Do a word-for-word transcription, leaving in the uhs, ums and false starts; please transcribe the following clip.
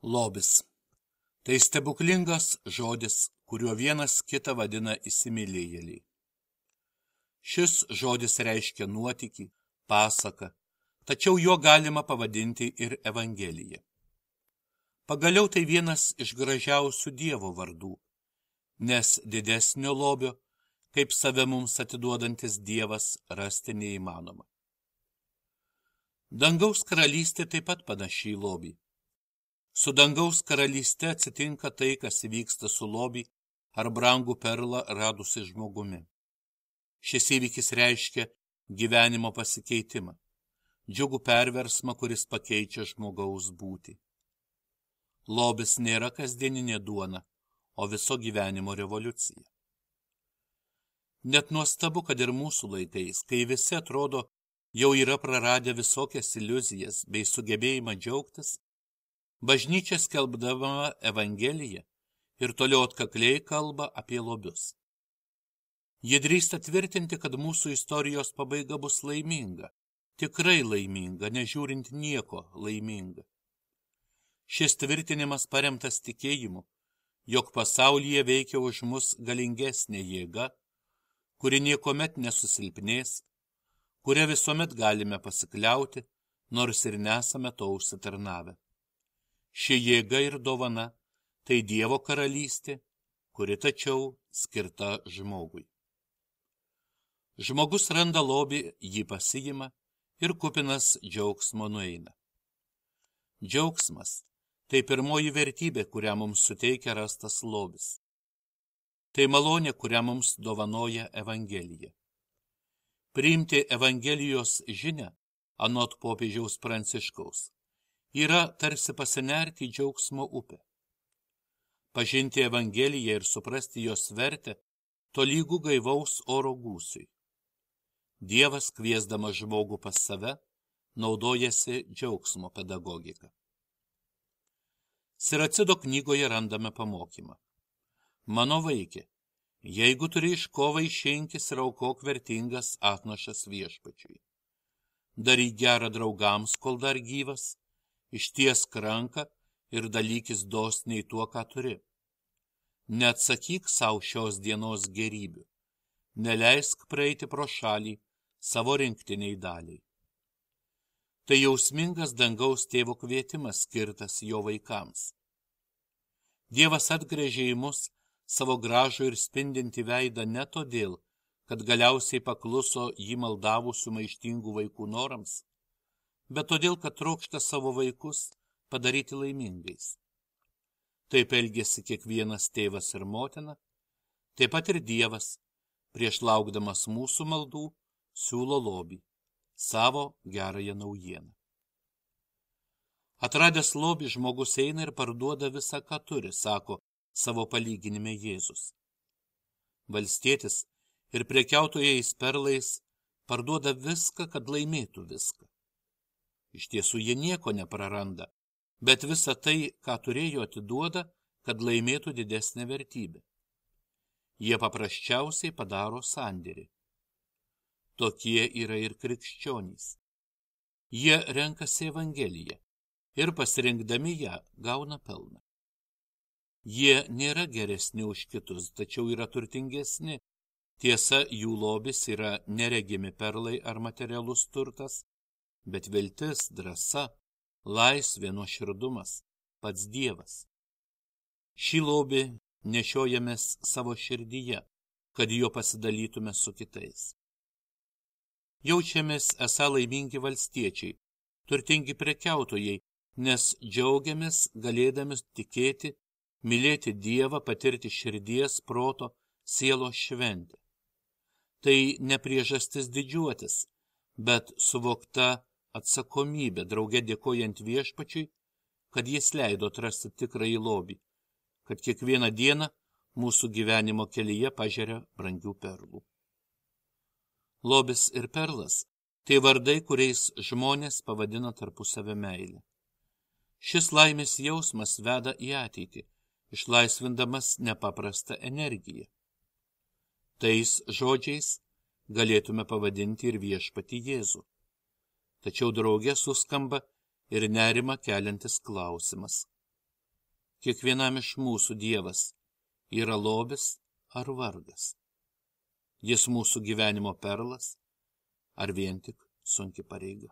Lobis. Tai stebuklingas žodis, kuriuo vienas kitą vadina įsimylėjėliai. Šis žodis reiškia nuotykį, pasaką, tačiau juo galima pavadinti ir Evangeliją. Pagaliau tai vienas iš gražiausių Dievo vardų, nes didesnio lobio, kaip save mums atiduodantis Dievas, rasti neįmanoma. Dangaus karalystė taip pat panaši į lobį. Su dangaus karalyste atsitinka tai, kas įvyksta su lobį ar brangų perlą radusi žmogumi. Šis įvykis reiškia gyvenimo pasikeitimą, džiugų perversmą, kuris pakeičia žmogaus būtį. Lobis nėra kasdieninė duona, o viso gyvenimo revoliucija. Net nuostabu, kad ir mūsų laikais, kai visi atrodo jau yra praradę visokias iliuzijas bei sugebėjimą džiaugtis, bažnyčia skelbdama Evangeliją ir toliau atkakliai kalba apie lobius. Jie drįsta tvirtinti, kad mūsų istorijos pabaiga bus laiminga, tikrai laiminga, nežiūrint nieko laiminga. Šis tvirtinimas paremtas tikėjimu, jog pasaulyje veikia už mus galingesnė jėga, kuri niekomet nesusilpnės, kuria visuomet galime pasikliauti, nors ir nesame to užsitarnavę. Ši jėga ir dovana – tai Dievo karalystė, kuri tačiau skirta žmogui. Žmogus randa lobį, jį pasiima ir kupinas džiaugsmo nueina. Džiaugsmas – tai pirmoji vertybė, kurią mums suteikia rastas lobis. Tai malonė, kurią mums dovanoja Evangelija. Priimti Evangelijos žinią, anot popiežiaus Pranciškaus, yra tarsi pasinerti į džiaugsmo upę. Pažinti Evangeliją ir suprasti jos vertę tolygų gaivaus oro gūsiui. Dievas, kviesdamas žmogų pas save, naudojasi džiaugsmo pedagogika. Siracido knygoje randame pamokymą. Mano vaikė, jeigu turi iš ko vaišinkis ir aukok vertingas atnašas viešpačiui. Daryk gerą draugams, kol dar gyvas, ištiesk ranką ir dalykis dosniai tuo, ką turi. Neatsakyk savo šios dienos gerybių, neleisk praeiti pro šalį savo rinktiniai daliai. Tai jausmingas dangaus tėvo kvietimas skirtas jo vaikams. Dievas atgręžė į mus savo gražų ir spindintį veidą ne todėl, kad galiausiai pakluso jį maldavusių maištingų vaikų norams, bet todėl, kad trokšta savo vaikus padaryti laimingais. Taip elgėsi kiekvienas tėvas ir motina, taip pat ir Dievas, prieš laukdamas mūsų maldų, siūlo lobį, savo gerąją naujieną. Atradęs lobį, žmogus eina ir parduoda visą, ką turi, sako savo palyginime Jėzus. Valstietis ir prekiautojais perlais parduoda viską, kad laimėtų viską. Iš tiesų jie nieko nepraranda, bet visą tai, ką turėjo, atiduoda, kad laimėtų didesnę vertybę. Jie paprasčiausiai padaro sandėrį. Tokie yra ir krikščionys. Jie renkasi Evangeliją ir pasirinkdami ją gauna pelną. Jie nėra geresni už kitus, tačiau yra turtingesni. Tiesa, jų lobis yra neregimi perlai ar materialus turtas, bet viltis, drąsa, laisvė, nuoširdumas, pats Dievas. Šį lobį nešiojamės savo širdyje, kad jo pasidalytume su kitais. Jaučiamės esą laimingi valstiečiai, turtingi prekiautojai, nes džiaugiamės galėdami tikėti, mylėti Dievą, patirti širdies, proto, sielos šventę. Tai ne priežastis didžiuotis, bet suvokta atsakomybė, drauge dėkojant viešpačiui, kad jis leido atrasti tikrąjį lobį, kad kiekvieną dieną mūsų gyvenimo kelyje pažeria brangių perlų. Lobis ir perlas – tai vardai, kuriais žmonės pavadina tarpusavę meilę. Šis laimės jausmas veda į ateitį, išlaisvindamas nepaprastą energiją. Tais žodžiais galėtume pavadinti ir viešpatį Jėzų. Tačiau drauge suskamba ir nerimą keliantis klausimas. Kiekvienam iš mūsų Dievas yra lobis ar vargas. Jis mūsų gyvenimo perlas ar vien tik sunki pareiga.